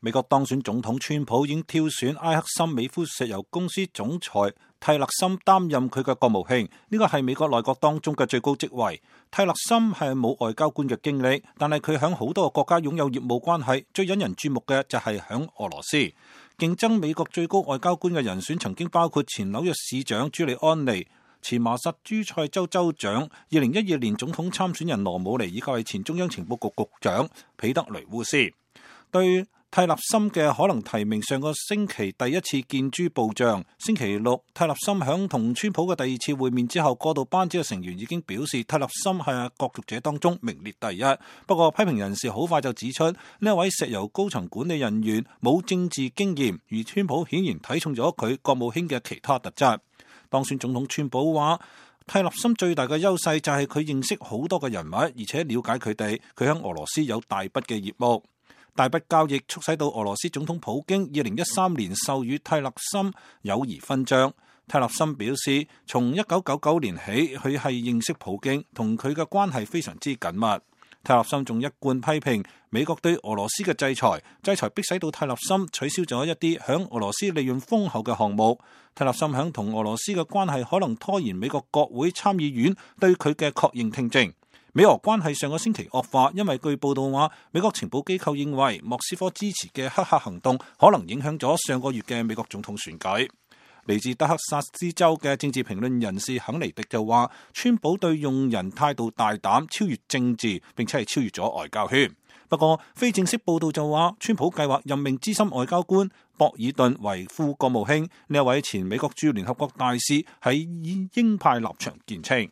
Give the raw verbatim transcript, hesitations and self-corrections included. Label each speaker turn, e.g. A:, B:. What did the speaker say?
A: 美國當選總統川普已經挑選埃克森美孚石油公司總裁蒂勒森擔任佢嘅國務卿，呢個係美國內閣當中嘅最高職位。蒂勒森係冇外交官嘅經歷，但係佢響好多個國家擁有業務關係。最引人注目嘅就係響俄羅斯。競爭美國最高外交官嘅人選曾經包括前紐約市長朱利安尼、前麻薩諸塞州州長、二零一二年總統參選人羅姆尼以及係前中央情報局局長彼得雷烏斯。對蒂勒森嘅可能提名，上個星期第一次見諸報漲。星期六，蒂勒森響同川普嘅第二次會面之後，過渡班子嘅成員已經表示蒂勒森係角逐者當中名列第一。不過批評人士好快就指出，呢一位石油高層管理人員冇政治經驗，而川普顯然睇重咗佢國務卿嘅其他特質。當選總統川普話，蒂勒森最大嘅優勢就係佢認識好多嘅人物，而且了解佢哋。佢喺俄羅斯有大筆嘅業務。大筆交易促使到俄羅斯總統普京二零一三年授予蒂勒森友誼勳章。蒂勒森表示，從一九九九年起，佢係認識普京，同佢嘅關係非常之緊密。蒂勒森仲一貫批評美國對俄羅斯嘅制裁，制裁迫使到蒂勒森取消咗一啲響俄羅斯利潤豐厚嘅項目。蒂勒森響同俄羅斯嘅關係可能拖延美國國會參議院對佢嘅確認聽證。美俄關係上個星期惡化，因為據報道話，美國情報機構認為莫斯科支持嘅黑客行動可能影響咗上個月嘅美國總統選舉。嚟自德克薩斯州嘅政治評論人士肯尼迪就話，川普對用人態度大膽，超越政治，並且係超越咗外交圈。不過非正式報道就話，川普計劃任命資深外交官博爾頓為副國務卿。呢一位前美國駐聯合國大使喺鷹派立場見稱。